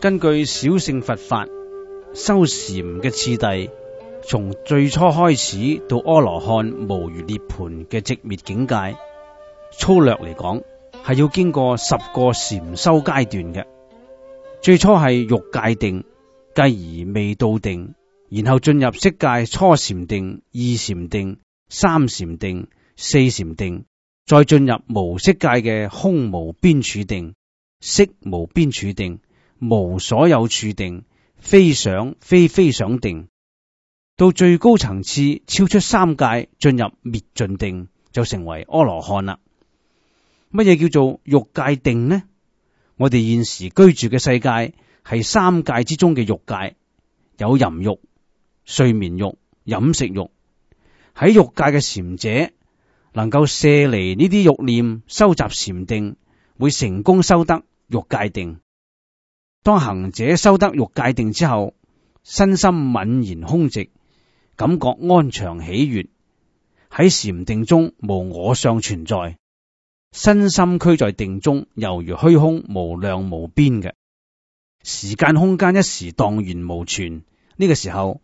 根據小乘佛法修禪嘅次第，從最初開始到阿羅漢無餘涅槃嘅寂滅境界，粗略嚟講係要經過10個禪修階段嘅。最初係欲界定，繼而未到定，然後進入色界初禪定、二禪定、三禪定、四禪定，再進入無色界嘅空無邊處定、色無邊處定、無所有處定、非想非非想定，到最高層次超出三界，進入滅盡定，就成為阿羅漢啦。乜嘢叫做欲界定呢？我哋現時居住嘅世界係三界之中嘅欲界，有淫欲、睡眠欲、飲食欲。喺欲界嘅禪者能夠卸離呢啲欲念，收集禪定，會成功修得欲界定。當行者修得欲界定之後，身心泯然空寂，感覺安詳喜悅，喺禪定中無我相存在，身心俱在定中，猶如虛空無量無邊嘅，時間空間一時蕩然無存。呢個時候，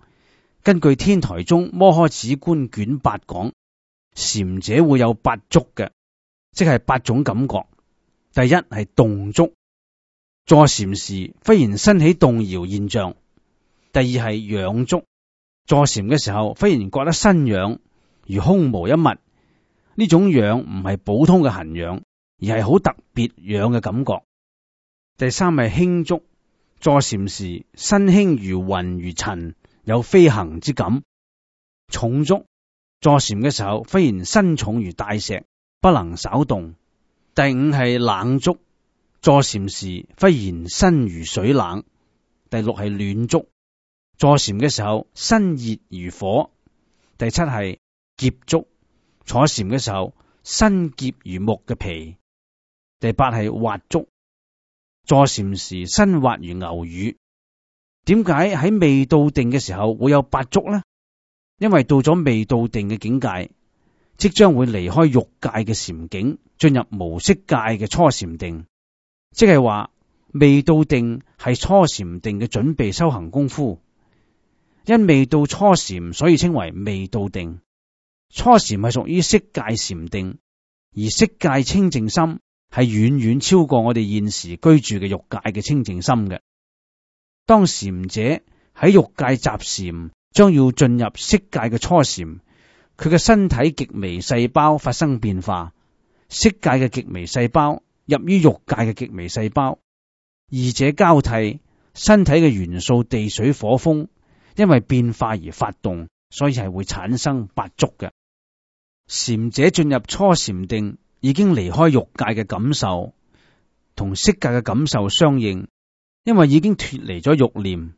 根據天台宗摩訶止觀卷8講，禪者會有8觸嘅，即係8種感覺。第一係動觸，坐禪時忽然身起動搖現象。第二係癢觸，坐禪嘅時候忽然覺得身癢，如空無一物。呢種癢唔係普通嘅痕癢，而係好特別癢嘅感覺。第三係輕觸，坐禪時身輕如雲如塵，有飛行之感。重觸，坐禪嘅時候忽然身重如大石，不能稍動。第五係冷觸，坐禪時忽然身如水冷。第六係暖觸，坐禪嘅時候身熱如火。第七係澀觸，坐禪嘅時候身澀如木嘅皮。第八係滑觸，坐禪時身滑如牛乳。點解喺未到定嘅時候會有8觸呢？因為到咗未到定嘅境界，即將會離開欲界嘅禪境，進入無色界嘅初禪定。即係話未到定係初禪定嘅準備修行功夫。因未到初禪，所以稱為未到定。初禪係屬於色界禪定，而色界清淨心係遠遠超過我哋現時居住嘅欲界嘅清淨心嘅。當禪者喺欲界集禪，將要進入色界嘅初禪，佢嘅身體極微細胞發生變化，色界嘅極微細胞入於欲界嘅極微細胞，二者交替，身體嘅元素地水火風因為變化而發動，所以係會產生8觸嘅。禪者進入初禪定，已經離開欲界嘅感受，同色界嘅感受相應，因為已經脫離咗欲念。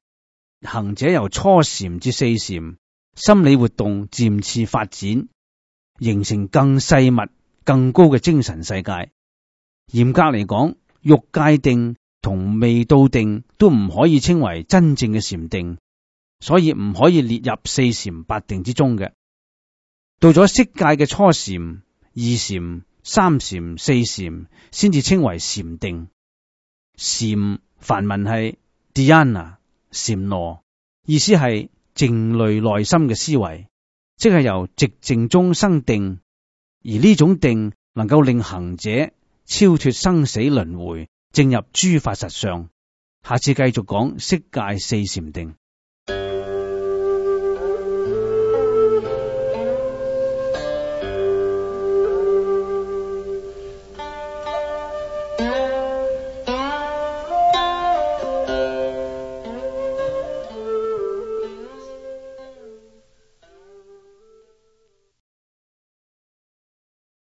行者由初禪至四禪，心理活動漸次發展，形成更細密、更高嘅精神世界。嚴格嚟講，欲界定同未到定都唔可以稱為真正嘅禪定，所以唔可以列入四禪八定之中嘅。到咗色界嘅初禪、二禪、三禪、四禪，先至稱為禪定。禪梵文係 dhyana 禪羅，意思係靜慮內心嘅思維，即係由寂靜中生定，而呢種定能夠令行者超脫生死輪迴，正入諸法實相。下次繼續講色界四禪定。